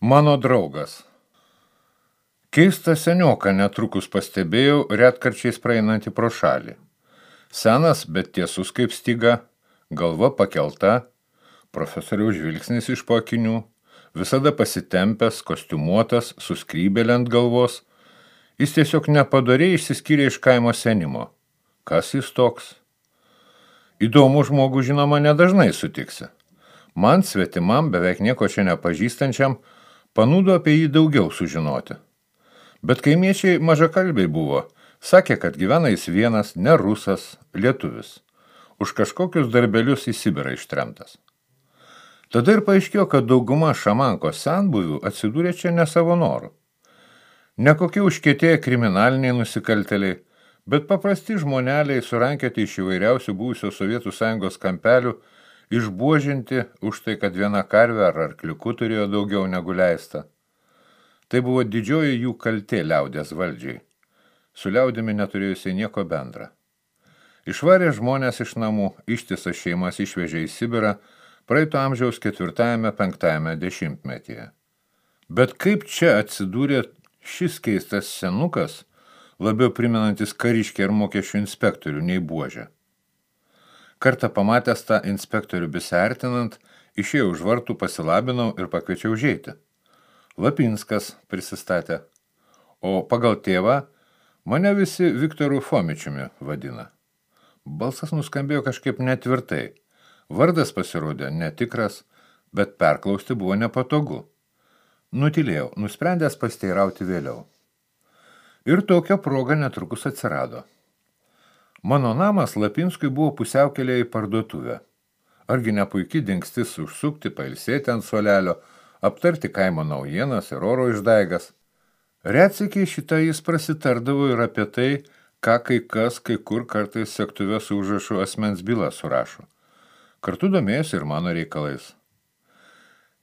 Mano draugas. Keistą senioką netrukus pastebėjau retkarčiais praeinantį pro šalį. Senas, bet tiesus kaip styga, galva pakelta, profesoriaus žvilgsnis iš po akinių, visada pasitempęs, kostiumuotas, su skrybėle ant galvos. Jis tiesiog nepadoriai išsiskyrė iš kaimo senimo. Kas jis toks? Įdomų žmogų, žinoma, nedažnai sutiksi. Man, svetimam, beveik nieko čia nepažįstančiam, panūdo apie jį daugiau sužinoti. Bet kaimiečiai mažakalbiai buvo, sakė, kad gyvena jis vienas, ne rusas, lietuvis. Už kažkokius darbelius į Sibirą ištremtas. Tada ir paaiškėjo, kad dauguma šamankos senbuvių atsidūrė čia ne savo norų. Ne kokie užkietėję kriminaliniai nusikaltėliai, bet paprasti žmoneliai surankioti iš įvairiausių buvusios Sovietų Sąjungos kampelių, išbuožinti už tai, kad viena karvė ar arkliuku turėjo daugiau negu leista. Tai buvo didžioji jų kaltė liaudės valdžiai. Su liaudimi neturėjusiai nieko bendra. Išvarė žmonės iš namų, ištisas šeimas išvežė į Sibirą praeito amžiaus 4–5 dešimtmetyje. Bet kaip čia atsidūrė šis keistas senukas, labiau primenantis kariškį ir mokesčių inspektorių nei buožę? Kartą pamatęs tą inspektorių besiartinant, išėjau už vartų, pasilabinau ir pakviečiau užeiti. Lapinskas prisistatė, o pagal tėvą mane visi Viktoru Fomičiumi vadina. Balsas nuskambėjo kažkaip netvirtai. Vardas pasirodė netikras, bet perklausti buvo nepatogu. Nutylėjau, nusprendęs pasteirauti vėliau. Ir tokia proga netrukus atsirado. Mano namas Lapinskui buvo pusiaukelėje į parduotuvę. Argi ne puikiai dingstis užsukti, pailsėti ant suolelio, aptarti kaimo naujienas ir oro išdaigas. Retsykiai šitą jis prasitardavo ir apie tai, ką kai kas, kai kur kartais sektuve su užrašu asmens bylą surašo. Kartu domėjosi ir mano reikalais.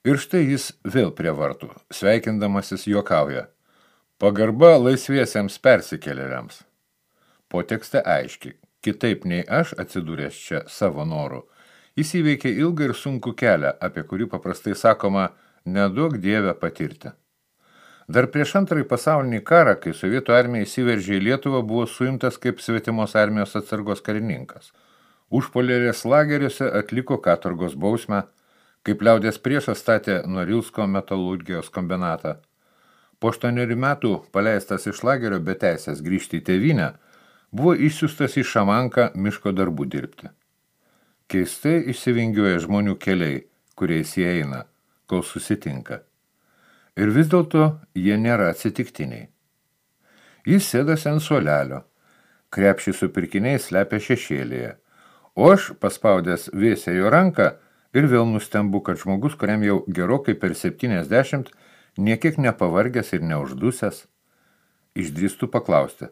Ir štai jis vėl prie vartų, sveikindamasis juokauja. Pagarba laisviesiems persikėlėliams. Potekste aiški, kitaip nei aš atsidūręs čia savo noru, jis įveikė ilgą ir sunkų kelią, apie kurį paprastai sakoma, neduok Dievę patirti. Dar prieš antrąjį pasaulinį karą, kai Sovietų armija įsiveržė į Lietuvą, buvo suimtas kaip svetimos armijos atsargos karininkas. Užpoliarės lageriuose atliko katorgos bausmę, kaip liaudės priešas statė Norilsko metalurgijos kombinatą. Po 8 metų, paleistas iš lagerio be teisės grįžti į tėvynę, buvo išsiųstas į Šamanką miško darbų dirbti. Keistai išsivingiuoja žmonių keliai, kuriais jie eina, kol susitinka. Ir vis dėlto jie nėra atsitiktiniai. Jis sėdasi ant suolelio, krepšį su pirkiniais slepia šešėlėje, o aš, paspaudęs vėsią jo ranką, ir vėl nustembu, kad žmogus, kuriam jau gerokai per 70, niekiek nepavargęs ir neuždusęs, išdrįstų paklausti.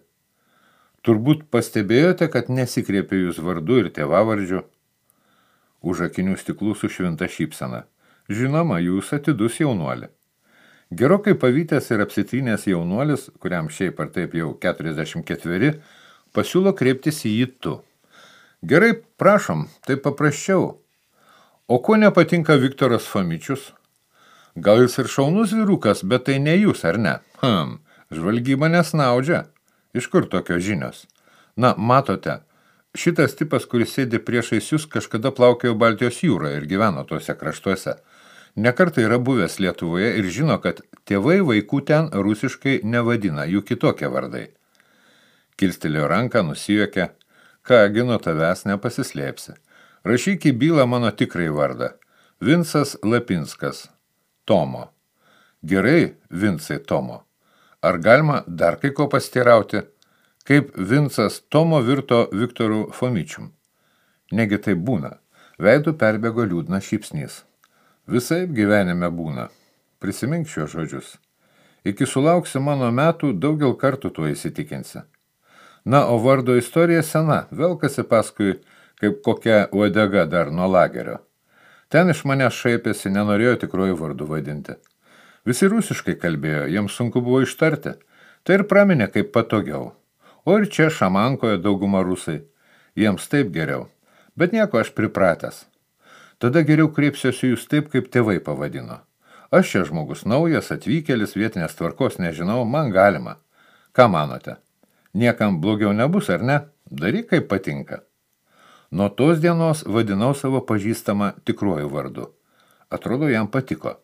Turbūt pastebėjote, kad nesikreipė jūs vardu ir tėvavardžiu? Už akinių stiklų sušvinta šypsena. Žinoma, jūs atidus jaunuolį. Gerokai pavytęs ir apsitrynęs jaunuolis, kuriam šiaip ar taip jau 44, pasiūlo kreiptis į jį tu. Gerai, prašom, tai paprasčiau. O ko nepatinka Viktoras Fomičius? Gal jis ir šaunus vyrukas, bet tai ne jūs, ar ne? Žvalgyba nesnaudžia. Iš kur tokios žinios? Na, matote, šitas tipas, kuris sėdi priešais jūs, kažkada plaukėjo Baltijos jūroje ir gyveno tuose kraštuose. Nekartą yra buvęs Lietuvoje ir žino, kad tėvai vaikų ten rusiškai nevadina, jų kitokie vardai. Kilstelėjo ranką, nusijuokė. Kągi nuo tavęs nepasislėpsi. Rašyk į bylą mano tikrai vardą. Vincas Lapinskas. Tomo. Gerai, Vincai Tomo. Ar galima dar kai ko pasiteirauti? Kaip Vincas Tomo virto Viktoru Fomičium? Negi tai būna. Veidu perbėgo liūdnas šypsnys. Visaip gyvenime būna. Prisimink šios žodžius. Iki sulauksi mano metų, daugel kartų tuo įsitikinsi. Na, o vardo istorija sena, velkasi paskui kaip kokia uodega dar nuo lagerio. Ten iš manęs šaipėsi, nenorėjo tikruoju vardu vadinti. Visi rusiškai kalbėjo, jiems sunku buvo ištarti. Tai ir praminė kaip patogiau. O ir čia Šamankoje dauguma rusai. Jiems taip geriau. Bet nieko, aš pripratęs. Tada geriau kreipsiuosi jūs taip, kaip tėvai pavadino. Aš čia žmogus naujas, atvykėlis, vietinės tvarkos nežinau, man galima. Ką manote? Niekam blogiau nebus, ar ne? Daryk, kaip patinka. Nuo tos dienos vadinau savo pažįstamą tikruoju vardu. Atrodo, jam patiko.